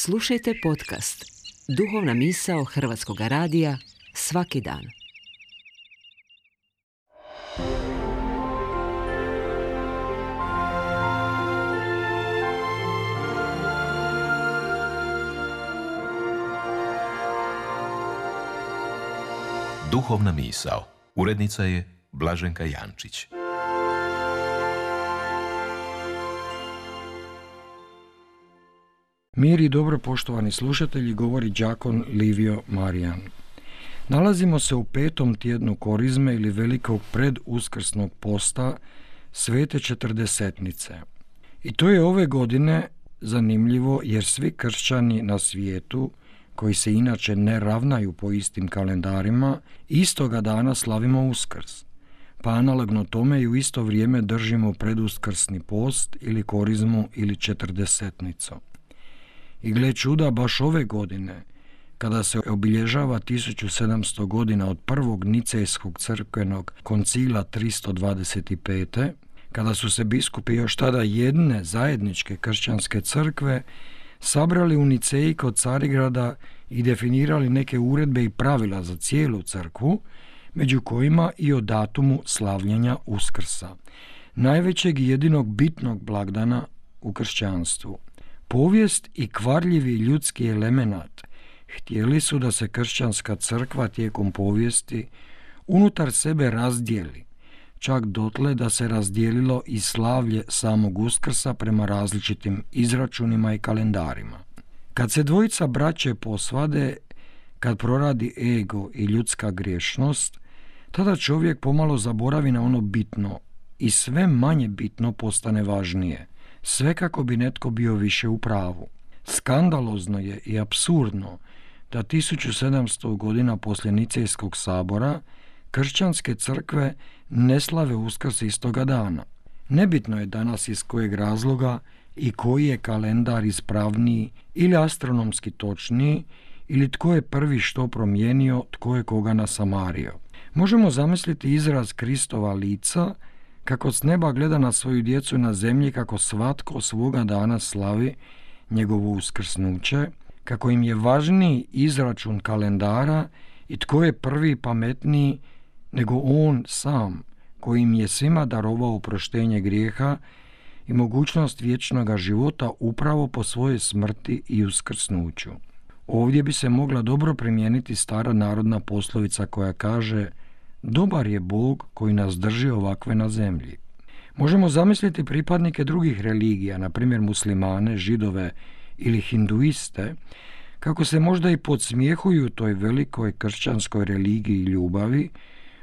Slušajte podcast Duhovna misao Hrvatskog radija svaki dan. Duhovna misao. Urednica je Blaženka Jančić. Mir i dobro, poštovani slušatelji, govori đakon Livio Marijan. Nalazimo se u 5. tjednu Korizme ili velikog preduskrsnog posta Svete Četrdesetnice. I to je ove godine zanimljivo jer svi kršćani na svijetu, koji se inače ne ravnaju po istim kalendarima, istoga dana slavimo Uskrs. Pa analogno tome i u isto vrijeme držimo preduskrsni post ili Korizmu ili Četrdesetnicu. I gle čuda, baš ove godine, kada se obilježava 1700 godina od prvog Nicejskog crkvenog koncila 325. kada su se biskupi još tada jedne zajedničke kršćanske crkve sabrali u Niceji kod Carigrada i definirali neke uredbe i pravila za cijelu crkvu, među kojima i o datumu slavljenja Uskrsa, najvećeg i jedinog bitnog blagdana u kršćanstvu. Povijest i kvarljivi ljudski elemenat htjeli su da se kršćanska crkva tijekom povijesti unutar sebe razdijeli, čak dotle da se razdijelilo i slavlje samog Uskrsa prema različitim izračunima i kalendarima. Kad se dvojica braće posvade, kad proradi ego i ljudska griješnost, tada čovjek pomalo zaboravi na ono bitno i sve manje bitno postane važnije, sve kako bi netko bio više u pravu. Skandalozno je i apsurdno da 1700 godina poslije Nicejskog sabora kršćanske crkve ne slave Uskrs istoga dana. Nebitno je danas iz kojeg razloga i koji je kalendar ispravniji ili astronomski točniji, ili tko je prvi što promijenio, tko je koga nasamario. Možemo zamisliti izraz Kristova lica kako s neba gleda na svoju djecu na zemlji, kako svatko svoga dana slavi njegovo uskrsnuće, kako im je važniji izračun kalendara i tko je prvi i pametniji nego on sam, koji im je svima darovao oproštenje grijeha i mogućnost vječnoga života upravo po svojoj smrti i uskrsnuću. Ovdje bi se mogla dobro primijeniti stara narodna poslovica koja kaže: dobar je Bog koji nas drži ovakve na zemlji. Možemo zamisliti pripadnike drugih religija, na primjer muslimane, židove ili hinduiste, kako se možda i podsmijehuju toj velikoj kršćanskoj religiji i ljubavi,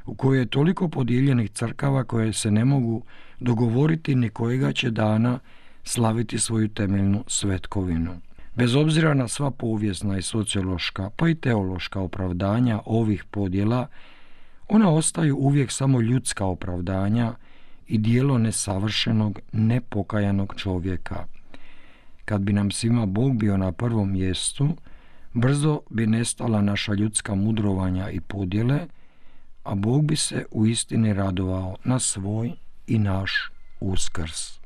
u kojoj je toliko podijeljenih crkava koje se ne mogu dogovoriti ni kojega će dana slaviti svoju temeljnu svetkovinu. Bez obzira na sva povijesna i sociološka, pa i teološka opravdanja ovih podjela, ona ostaju uvijek samo ljudska opravdanja i dijelo nesavršenog, nepokajanog čovjeka. Kad bi nam svima Bog bio na prvom mjestu, brzo bi nestala naša ljudska mudrovanja i podjele, a Bog bi se uistini radovao na svoj i naš Uskrs.